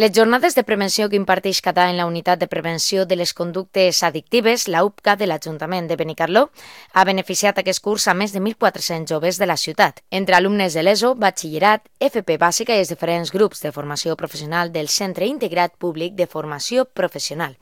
Les jornades de prevenció que imparteix cada any la Unitat de Prevenció de les Conductes Addictives, la UPCA de l'Ajuntament de Benicarló, ha beneficiat aquest curs a més de 1.400 joves de la ciutat, entre alumnes de l'ESO, batxillerat, FP bàsica i els diferents grups de formació professional del Centre Integrat Públic de Formació Professional.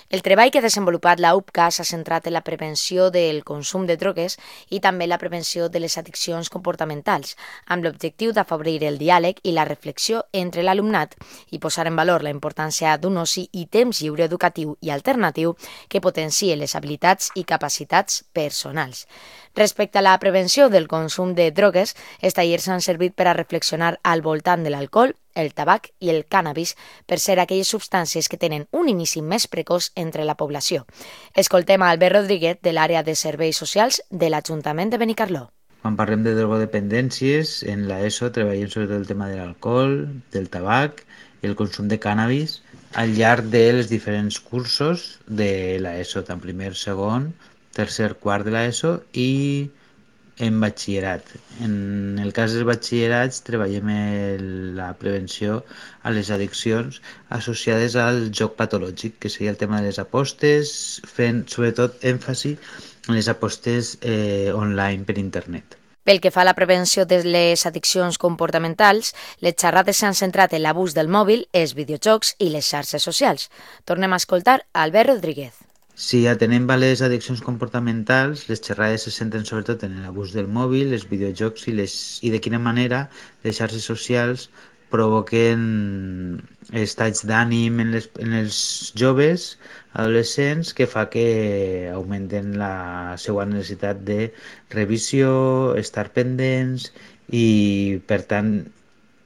El treball que ha desenvolupat la UPCA s'ha centrat en la prevenció del consum de drogues i també la prevenció de les addiccions comportamentals, amb l'objectiu d'afavorir el diàleg i la reflexió entre l'alumnat i posar en valor la importància d'un oci i temps lliure educatiu i alternatiu que potencie les habilitats i capacitats personals. Respecte a la prevenció del consum de drogues, els tallers han servit per a reflexionar al voltant de l'alcohol, el tabac i el cànnabis per ser aquelles substàncies que tenen un inici més precoç entre la població. Escoltem a Albert Rodríguez de l'àrea de serveis socials de l'Ajuntament de Benicarló. Quan parlem de drogodependències, en l'ESO treballem sobretot el tema de l'alcohol, del tabac i el consum de cànnabis al llarg dels diferents cursos de l'ESO, tant primer, segon, tercer, quart de l'ESO i en batxillerat. En el cas dels batxillerats treballem la prevenció a les addiccions associades al joc patològic, que seria el tema de les apostes, fent sobretot èmfasi en les apostes online per internet. Pel que fa a la prevenció de les addiccions comportamentals, les xerrades s'han centrat en l'abús del mòbil, els videojocs i les xarxes socials. Tornem a escoltar Albert Rodríguez. Si atenem a les addiccions comportamentals, les xerrades se centren sobretot en l'abús del mòbil, els videojocs i de quina manera les xarxes socials provoquen estats d'ànim en els joves adolescents que fa que augmenten la seva necessitat de revisió, estar pendents i, per tant,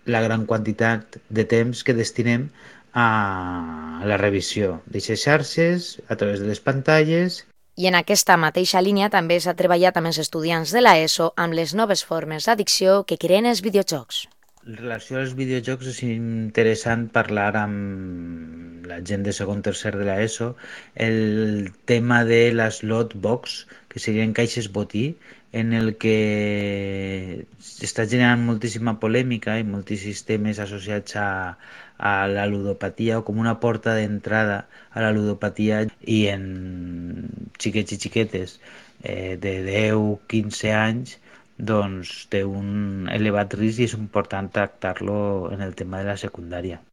la gran quantitat de temps que destinem a la revisió d'aquestes xarxes a través de les pantalles. I en aquesta mateixa línia també s'ha treballat amb els estudiants de l'ESO amb les noves formes d'addicció que creen els videojocs. En relació als videojocs és interessant parlar amb la gent de segon tercer de l'ESO el tema de les lot box, que serien caixes botí, en el que està generant moltíssima polèmica i moltíssims temes associats a la ludopatia o com una porta d'entrada a la ludopatia i en xiquets i xiquetes de 10-15 anys doncs té un elevat risc i és important tractar-lo en el tema de la secundària.